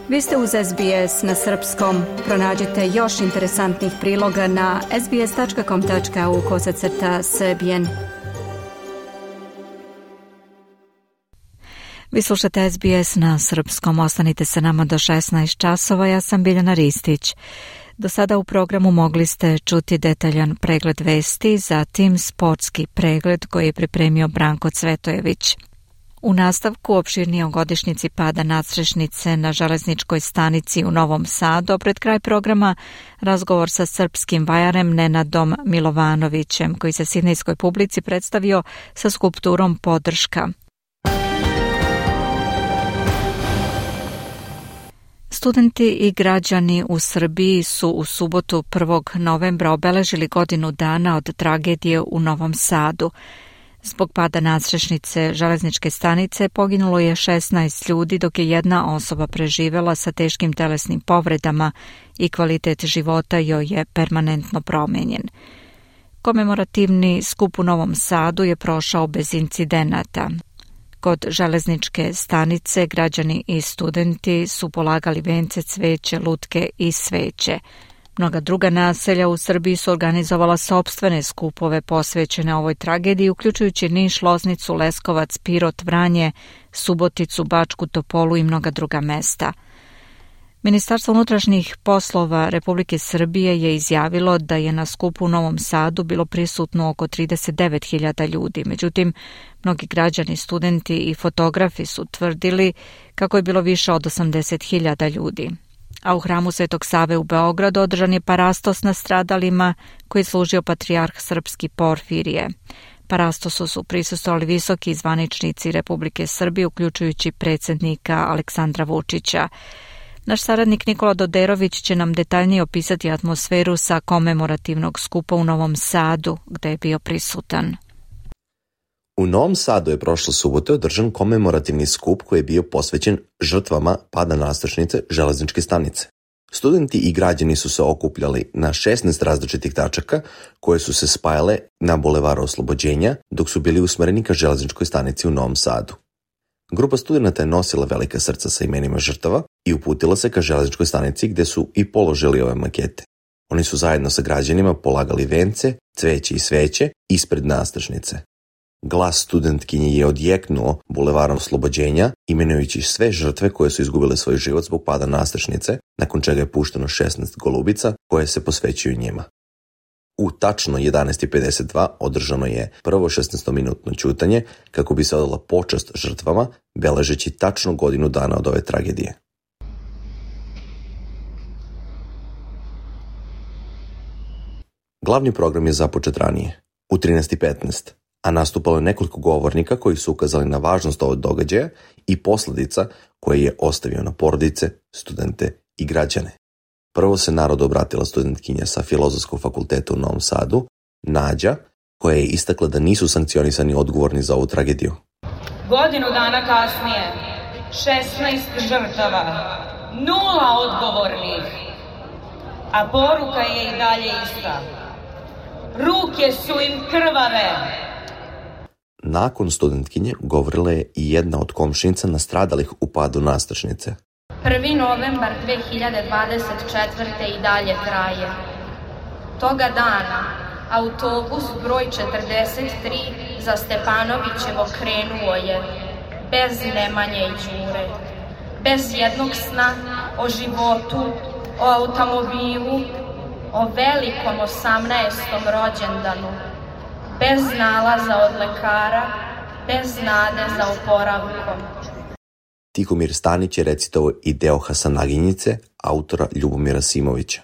Vi ste uz SBS na srpskom. Pronađite još interesantnih priloga na sbs.com.au/srbijen. Vi slušate SBS na srpskom. Ostanite se nama do 16 časova. Ja sam Biljana Ristić. Do sada u programu mogli ste čuti detaljan pregled vesti, zatim sportski pregled koji je pripremio Branko Cvetojević. U nastavku opširnije o godišnjici pada nadstrešnice na železničkoj stanici u Novom Sadu, a pred kraj programa razgovor sa srpskim vajarem Nenadom Milovanovićem, koji se sidnejskoj publici predstavio sa skulpturom Podrška. Studenti i građani u Srbiji su u subotu 1. novembra obeležili godinu dana od tragedije u Novom Sadu. Zbog pada nadstrešnice železničke stanice poginulo je 16 ljudi, dok je jedna osoba preživela sa teškim telesnim povredama i kvalitet života joj je permanentno promenjen. Komemorativni skup u Novom Sadu je prošao bez incidenata. Kod železničke stanice građani i studenti su polagali vence, cveće, lutke i sveće. Mnoga druga naselja u Srbiji su organizovala sopstvene skupove posvećene ovoj tragediji, uključujući Niš, Loznicu, Leskovac, Pirot, Vranje, Suboticu, Bačku Topolu i mnoga druga mesta. Ministarstvo unutrašnjih poslova Republike Srbije je izjavilo da je na skupu u Novom Sadu bilo prisutno oko 39.000 ljudi. Međutim, mnogi građani, studenti i fotografi su tvrdili kako je bilo više od 80.000 ljudi. A u hramu Svetog Save u Beogradu održan je parastos na stradalima koji je služio patrijarh srpski Porfirije. Parastosu su prisustvovali visoki zvaničnici Republike Srbije, uključujući predsjednika Aleksandra Vučića. Naš saradnik Nikola Doderović će nam detaljnije opisati atmosferu sa komemorativnog skupa u Novom Sadu, gde je bio prisutan. U Novom Sadu je prošle subote održan komemorativni skup koji je bio posvećen žrtvama pada nadstrešnice železničke stanice. Studenti i građani su se okupljali na 16 različitih tačaka koje su se spajale na Bulevaru Oslobođenja dok su bili usmereni ka železničkoj stanici u Novom Sadu. Grupa studenata je nosila velika srca sa imenima žrtava i uputila se ka železničkoj stanici gde su i položili ove makete. Oni su zajedno sa građanima polagali vence, cveće i sveće ispred nadstrešnice. Glas studentkinje je odjeknuo Bulevarom Oslobođenja, imenujući sve žrtve koje su izgubile svoj život zbog pada nadstrešnice, nakon čega je pušteno 16 golubica koje se posvećuju njima. U tačno 11:52 održano je prvo 16-minutno ćutanje kako bi se odala počast žrtvama, beležeći tačno godinu dana od ove tragedije. Glavni program je započet ranije, u 13:15, a nastupalo je nekoliko govornika koji su ukazali na važnost ovog događaja i posledica koje je ostavio na porodice, studente i građane. Prvo se narodu obratila studentkinja sa Filozofskog fakulteta u Novom Sadu, Nađa, koja je istakla da nisu sankcionisani odgovorni za ovu tragediju. Godinu dana kasnije, 16 žrtava, 0 odgovornih, a poruka je i dalje ista. Ruke su im krvave. Nakon studentkinje govorila je i jedna od komšinica nastradalih u padu nadstrešnice. 1. novembar 2024. i dalje traje. Toga dana autobus broj 43 za Stepanovićevo krenuo je, bez Nemanje i Đure, bez jednog sna o životu, o automobilu, o velikom 18. rođendanu, bez nalaza od lekara, bez nade za oporavkom. Tihomir Stanić je recitovao i deo Hasanaginjice, autora Ljubomira Simovića.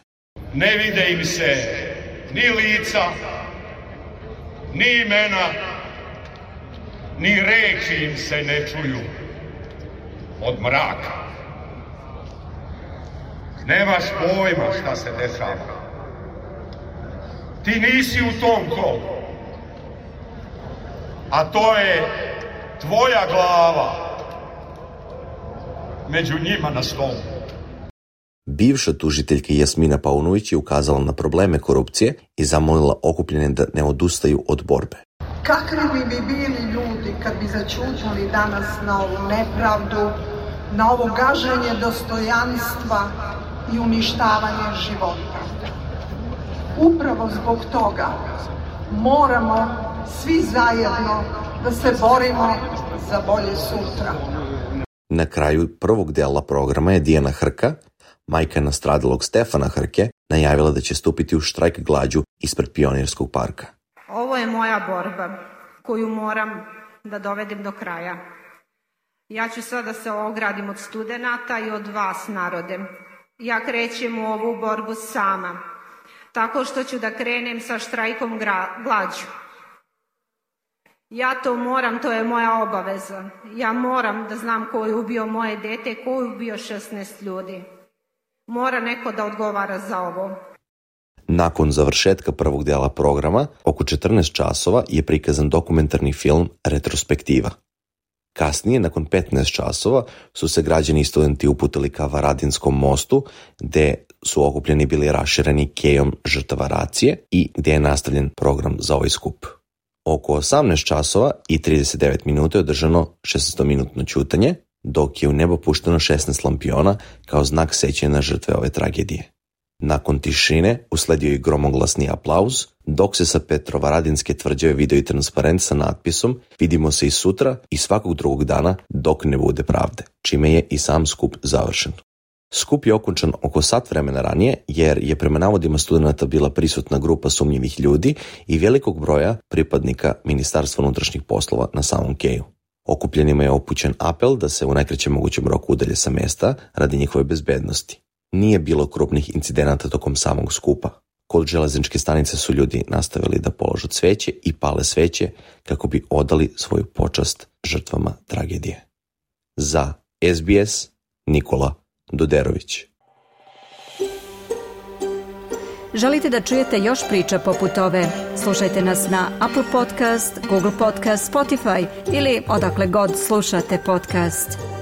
Ne vide im se ni lica, ni imena, ni reči im se ne čuju od mraka. Nemaš pojma šta se dešava. Ti nisi u tom kolu, a to je tvoja glava među njima na stolu. Bivša tužiteljka Jasmina Paunović je ukazala na probleme korupcije i zamolila okupljene da ne odustaju od borbe. Kakvi bi bili ljudi kad bi začutali danas na ovu nepravdu, na ovo gaženje dostojanstva i uništavanje života. Upravo zbog toga moramo svi zajedno da se borimo za bolje sutra. Na kraju prvog dela programa je Dijana Hrka, majka nastradalog Stefana Hrke, najavila da će stupiti u štrajk glađu ispred Pionirskog parka. Ovo je moja borba koju moram da dovedem do kraja. Ja ću sada se ogradim od studenata i od vas, narode. Ja krećem u ovu borbu sama, tako što ću da krenem sa štrajkom glađu. Ja to moram, to je moja obaveza. Ja moram da znam ko je ubio moje dete, ko je ubio 16 ljudi. Mora neko da odgovara za ovo. Nakon završetka prvog dela programa, oko 14 časova je prikazan dokumentarni film Retrospektiva. Kasnije, nakon 15 časova, su se građani i studenti uputili ka Varadinskom mostu, gde su okupljeni bili rašireni kejom žrtava racije i gdje je nastavljen program za ovaj skup. Oko 18 časova i 39 minuta je održano 16-minutno ćutanje, dok je u nebo pušteno 16 lampiona kao znak sećanja na žrtve ove tragedije. Nakon tišine usledio je gromoglasni aplauz, dok se sa Petrovaradinske tvrđave vidio i transparent sa natpisom "Vidimo se i sutra i svakog drugog dana dok ne bude pravde", čime je i sam skup završen. Skup je okončan oko sat vremena ranije, jer je prema navodima studenata bila prisutna grupa sumnjivih ljudi i velikog broja pripadnika Ministarstva unutrašnjih poslova na samom keju. Okupljenima je upućen apel da se u najkraćem mogućem roku udalje sa mesta radi njihove bezbednosti. Nije bilo krupnih incidenata tokom samog skupa. Kod železničke stanice su ljudi nastavili da polažu cveće i pale sveće kako bi odali svoju počast žrtvama tragedije. Za SBS, Nikola Doderović. Želite da čujete još priča poput ove? Slušajte nas na Apple Podcast, Google Podcast, Spotify ili odakle god slušate podcast.